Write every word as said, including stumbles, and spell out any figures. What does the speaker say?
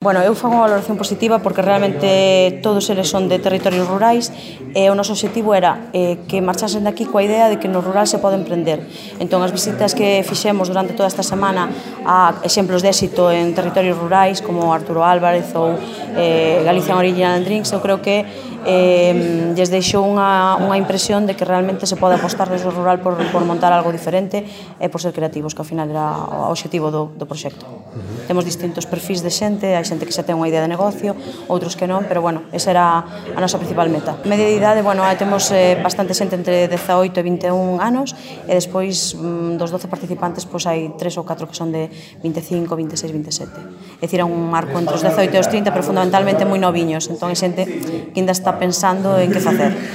Bueno, eu fago unha valoración positiva porque realmente todos eles son de territorios rurais e o noso obxectivo era eh, que marchasen daqui coa idea de que no rural se pode emprender. Entón, as visitas que fixemos durante toda esta semana a exemplos de éxito en territorios rurais como Arturo Álvarez ou eh, Galician Original Drinks, eu creo que eh, lles deixou unha, unha impresión de que realmente se pode apostar desde o rural por, por montar algo diferente e por ser creativos, que ao final era o obxectivo do, do proxecto. Uh-huh. Temos distintos perfis de xente, hai xente que xa ten unha idea de negocio, outros que non, pero bueno, esa era a nosa principal meta. Media de idade, bueno, temos eh, bastante xente entre dezaoito e vinte e un anos e despois mm, dos doce participantes pois hai tres ou catro que son de vinte e cinco, vinte e seis, vinte e sete. É dicir, é un marco entre os dezaoito e os trinta, pero fundamentalmente moi noviños, entón é xente que ainda está pensando en que facer.